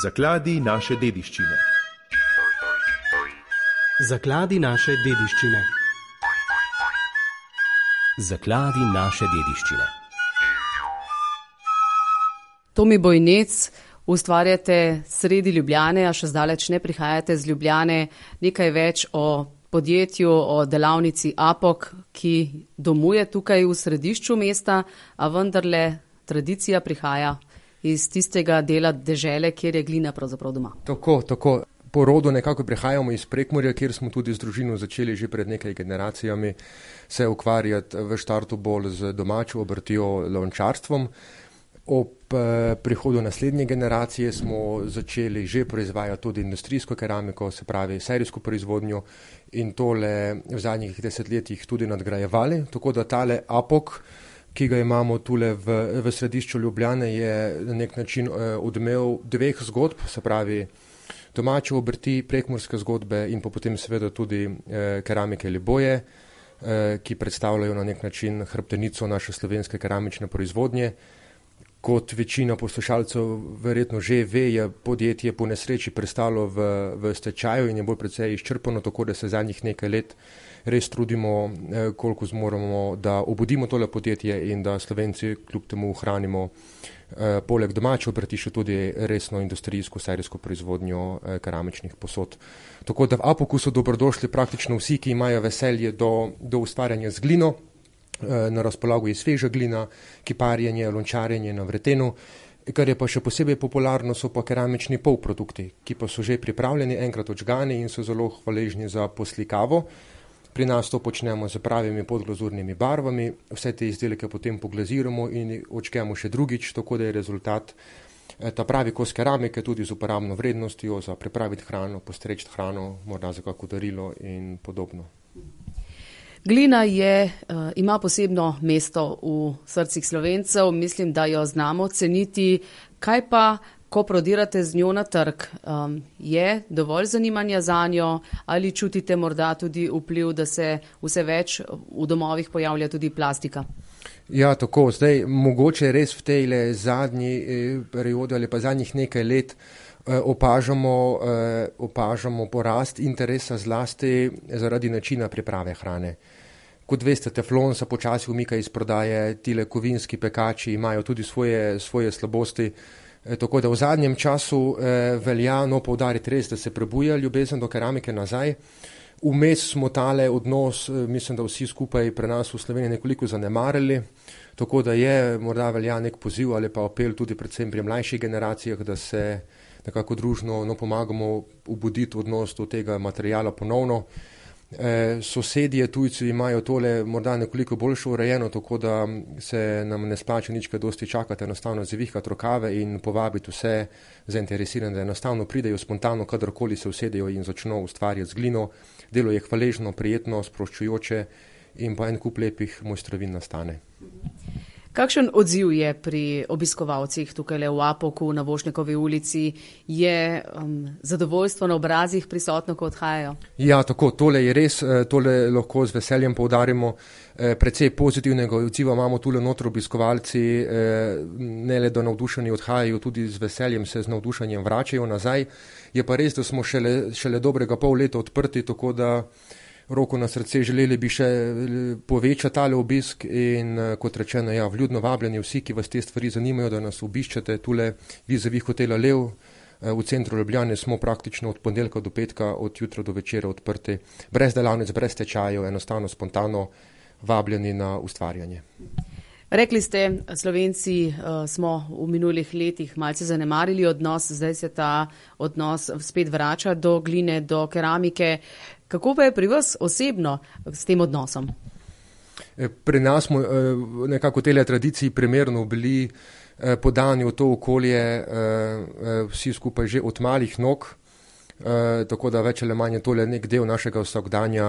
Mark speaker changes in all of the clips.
Speaker 1: Zakladi naše dediščine.
Speaker 2: Zakladi naše dediščine.
Speaker 3: Zakladi naše dediščine.
Speaker 4: Tomi Bojnec, ustvarjate sredi Ljubljane, a še zdaleč ne prihajate z Ljubljane. Nekaj več o podjetju, o delavnici Apok, ki domuje tukaj v središču mesta, a vendarle tradicija prihaja iz tistega dela dežele, kjer je glina pravzaprav doma.
Speaker 5: Tako. Po rodu nekako prihajamo iz Prekmurja, kjer smo tudi z družino začeli že pred nekaj generacijami se ukvarjati v štartu bolj z domačo obrtjo, lončarstvom. Ob prihodu naslednje generacije smo začeli že proizvajati tudi industrijsko keramiko, se pravi serijsko proizvodnjo, in tole v zadnjih desetletjih tudi nadgrajevali. Tako da tale Apok, ki ga imamo tule v središču Ljubljane, je na nek način odmev dveh zgodb, se pravi domače obrti, prekmurske zgodbe in pa potem seveda tudi keramike Liboje, ki predstavljajo na nek način hrbtenico naše slovenske keramične proizvodnje. Kot večina poslušalcev verjetno že ve, je podjetje po nesreči prestalo v stečaju in je bolj precej izčrpano, tako da se zadnjih nekaj let res trudimo, koliko zmoremo, da obudimo tole podjetje in da Slovenci kljub temu ohranimo poleg domače obrti še tudi resno industrijsko serijsko proizvodnjo keramičnih posod. Tako da v Apoku so dobrodošli praktično vsi, ki imajo veselje do ustvarjanja z glino. Na razpolago je sveža glina, kiparjenje, lončarjenje na vretenu. Kar je pa še posebej popularno, so pa keramični polprodukti, ki pa so že pripravljeni, enkrat odžgani in so zelo hvaležni za poslikavo. Pri nas to počnemo z pravimi podglazurnimi barvami, vse te izdelke potem poglaziramo in odžgemo še drugič, tako da je rezultat ta pravi kos keramike tudi z uporabno vrednostjo za pripraviti hrano, postreči hrano, morda za kako darilo in podobno.
Speaker 4: Glina ima posebno mesto v srcih Slovencev, mislim, da jo znamo ceniti. Kaj pa, ko prodirate z njo na trg, je dovolj zanimanja zanjo ali čutite morda tudi vpliv, da se vse več v domovih pojavlja tudi plastika?
Speaker 5: Ja, tako. Zdaj, mogoče res v tej zadnji periodi ali pa zadnjih nekaj let opažamo porast interesa zlasti zaradi načina priprave hrane. Kot veste, teflon se počasi umika iz prodaje, tile kovinski pekači imajo tudi svoje slabosti. Tako da v zadnjem času velja poudariti res, da se prebuja ljubezen do keramike nazaj. Vmes smo tale odnos, mislim, da vsi skupaj pri nas v Sloveniji nekoliko zanemarili, tako da morda velja nek poziv ali pa apel tudi predvsem pri mlajših generacijah, da se nekako družno pomagamo obuditi odnos do tega materiala ponovno. Sosedje, tujci imajo tole morda nekoliko boljše urejeno, tako da se nam ne splača nič kaj dosti čakati, enostavno zavihati rokave in povabiti vse zainteresirane, da enostavno pridejo spontano, kadarkoli se usedejo in začno ustvarjati z glino. Delo je hvaležno, prijetno, sproščujoče in pa en kup lepih mojstrovin nastane.
Speaker 4: Kakšen odziv je pri obiskovalcih tukaj v Apoku na Vošnjakovi ulici? Je zadovoljstvo na obrazih prisotno, ko odhajajo?
Speaker 5: Ja, tako, tole je res, tole lahko z veseljem poudarimo. Precej pozitivnega odziva imamo tule notri obiskovalci, ne le da navdušeni odhajajo, tudi z veseljem se z navdušenjem vračajo nazaj. Je pa res, da smo šele dobrega pol leta odprti, tako da roko na srce želeli bi še povečati tale obisk in kot rečeno, vljudno vabljeni vsi, ki vas te stvari zanimajo, da nas obiščete tule vizavi hotela Lev. V centru Ljubljane smo praktično od ponedeljka do petka, od jutra do večera odprti, brez delavnic, brez tečajev, enostavno spontano vabljeni na ustvarjanje.
Speaker 4: Rekli ste, Slovenci smo v minulih letih malce zanemarili odnos, zdaj se ta odnos spet vrača do gline, do keramike. Kako pa je pri vas osebno s tem odnosom?
Speaker 5: Pri nas smo nekako tele tradiciji primerno bili podani v to okolje vsi skupaj že od malih nog, tako da več ali manj je tole nek del našega vsakdanja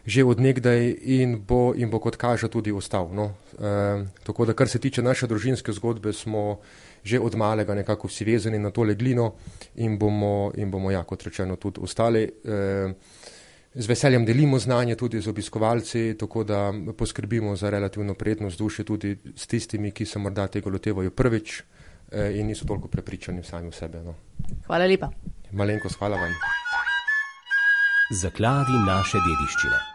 Speaker 5: že od nekdaj in bo kot kaže tudi ostal. Tako da kar se tiče naše družinske zgodbe, smo že od malega nekako vsi vezani na tole glino in bomo kot rečeno tudi ostali. Z veseljem delimo znanje tudi z obiskovalci, tako da poskrbimo za relativno prijetno vzdušje tudi s tistimi, ki se morda tega lotevajo prvič. in niso toliko prepričani sami v sebe. No.
Speaker 4: Hvala lepa.
Speaker 5: Malenkost, hvala vam.
Speaker 3: Zakladi naše dediščine.